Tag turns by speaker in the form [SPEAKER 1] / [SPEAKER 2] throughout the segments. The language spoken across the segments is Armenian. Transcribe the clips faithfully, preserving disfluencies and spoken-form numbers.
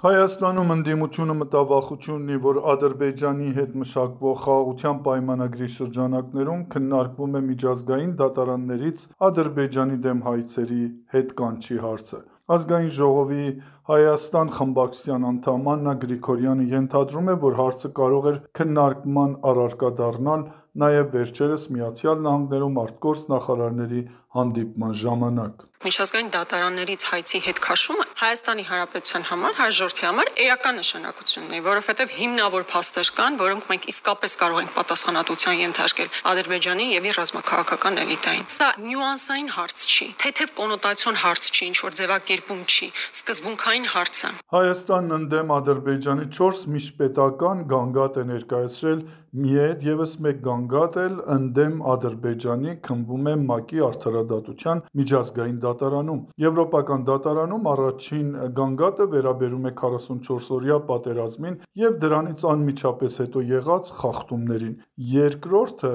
[SPEAKER 1] Հայաստանում ընդդիմությունը մտավախություն ունի, որ Ադրբեջանի հետ մշակվող խաղաղության պայմանագրի շրջանակներում քննարկվում է միջազգային դատարաններից Ադրբեջանի դեմ հայցերի հետ կանչի հարցը։ Ազգային ժողովի Հայաստան խմբակցության անդամ Աննա Գրիգորյանը ենթադրում է, որ հարցը կարող էր քննարկման առարկա դառնալ նաև վերջերս Միացյալ Նահանգներում ԱԳ նախարարների հանդիպման ժամանակ։
[SPEAKER 2] Միջազգային դատարաններից հայցի հետ քաշումը Հայաստանի Հանրապետության համար, հայ ժողովրդի համար էական նշանակություն ունի, որովհետև հիմնավոր փաստեր կան, որոնք մենք իսկապես կարող ենք պատասխանատվության ենթարկել Ադրբեջանի եւ իր ռազմաքաղաքական էլիտային։ Սա նյուանսային հարց չի, թեթև կոնոտացիոն հարց չի, ինչ որ ձևակերպում չի, սկզբունքային հարց է։
[SPEAKER 1] Հայաստանն ընդդեմ Ադրբեջանի չորս միջպետական գանգատ է ներկայացրել, մի հետ ևս մեկ գանգատ էլ ընդդեմ Ադրբեջանի քննվում է ՄԱԿ-ի արդարադատության միջազգային դատարանում։ Եվրոպական դատարանում առաջին գանգատը վերաբերում է քառասունչորսօրյա պատերազմին եւ դրանից անմիջապես հետո եղած խախտումներին։ Երկրորդը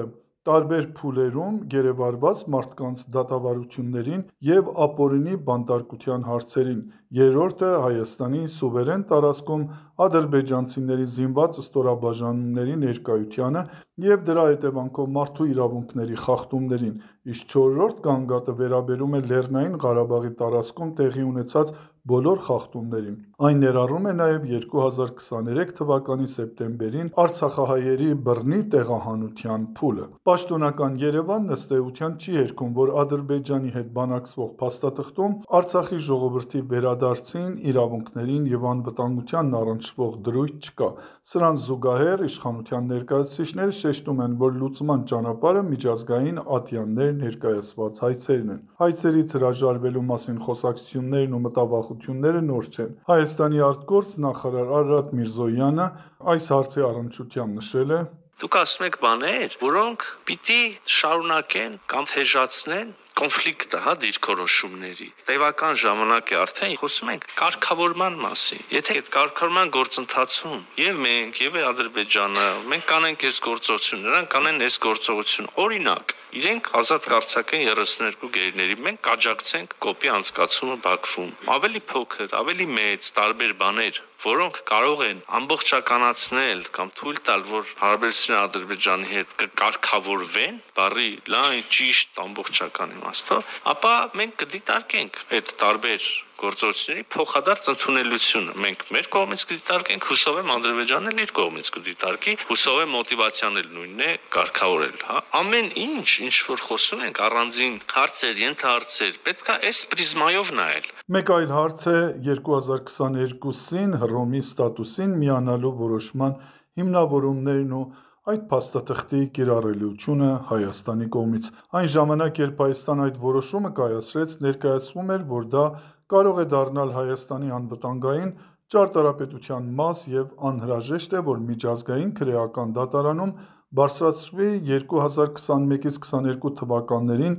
[SPEAKER 1] տարբեր փուլերում գերեվարված մարդկանց դատավարություններին եւ ապօրինի բանտարկության հարցերին։ Երրորդը Հայաստանի սուվերեն տարածքում ադրբեջանցիների զինված ստորաբաժանումների ներկայությանը եւ դրա հետևանքով մարդու իրավունքների խախտումներին, իսկ չորրորդ գանգատը վերաբերում է Լեռնային Ղարաբաղի տարածքում տեղի ունեցած բոլոր խախտումներին։ Այն ներառում է նաև երկու հազար քսաներեք թվականի սեպտեմբերին արցախահայերի բռնի տեղահանության փուլը։ Պաշտոնական Երևանն ըստ էության չի երգում, որ Ադրբեջանի հետ բանակցվող փաստաթղթում Արցախի ժողովրդի վերադարձին, իրավունքներին եւ անվտանգությանն առնչվող դրույթ չկա։ Սրան զուգահեռ իշխանության ներկայացուցիչները շեշտում են, որ լուծման ճանապարհը միջազգային ատյաններ ներկայացված հայցերն են։ Հայցերից հրաժարվելու մասին խոսակցություններն ու մտավախությունները նոր չեն։ Հայաստանի ԱԳ նախարար Արարատ Միրզոյանը այս հարցի առնչությամբ նշել է.
[SPEAKER 3] Դուք ասում եք բաներ, որոնք պիտի շարունակեն կամ թեժացնեն կոնֆլիկտը, հա, դիրքորոշումների։ Տևական ժամանակ է արդեն խոսում ենք կարգավորման մասին։ Եթե այդ կարգավորման գործընթացում եւ մենք, եւ Ադրբեջանը, մենք կանենք այս գործողություն, նրանք կանեն այս գործողություն, օրինակ, իրենք ազատ կարձակեն երեսուններկու գերիների, մենք կաջակցենք կոպի անցկացումը Բաքվում։ Ավելի փոքր, ավելի մեծ, տարբեր բաներ, որոնք կարող են ամբողջականացնել կամ թույլ տալ, որ հարաբերությունները Ադրբեջանի հետ կկարգավորվեն, բարի լայն ճիշտ ամբողջական իմաստով, ապա մենք կդիտարկենք այդ տարբեր գործողությունների փոխադարձ ընդունելությունը։ Մենք մեր կողմից կդիտարկենք, հուսով եմ Ադրբեջանն էլ իր կողմից կդիտարկի, հուսով եմ մոտիվացիան էլ նույնն է կարգավորել, հա։ Ամեն ինչ, ինչ որ խոսում ենք, առանձին հարցեր, ենթահարցեր, պետք է այս պրիզմայով նայել։
[SPEAKER 1] Մեկ այլ հարց է երկու հազար քսաներկուսին Հռոմի ստատուսին միանալու որոշման հիմնավորումներն ու այդ փաստաթղթի կիրառելիությունը Հայաստանի կողմից։ Այն ժամանակ, երբ Հայաստանը այդ որոշումը կայացրեց, ներկայացվում էր, որ դա կարող է դառնալ Հայաստանի անվտանգային ճարտարապետության մաս եւ անհրաժեշտ է, որ միջազգային քրեական դատարանում բարձրացվի երկու հազար քսանմեկից քսաներկու թվականներին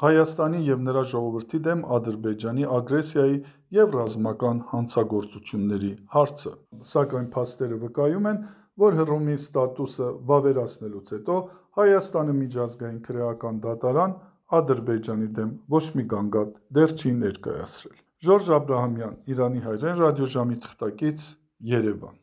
[SPEAKER 1] Հայաստանի եւ նրա ժողովրդի դեմ Ադրբեջանի ագրեսիայի եւ ռազմական հանցագործությունների հարցը։ Սակայն փաստերը վկայում են, որ Հռոմի ստատուսը վավերացնելուց հետո Հայաստանը միջազգային քրեական դատարան Ադրբեջանի դեմ ոչ մի գանգատ դեռ չի ներկայացրել։ Ժորժ Աբրահամյան, Իրանի հայրեն ռադիոժամի թղթակից, Երևան։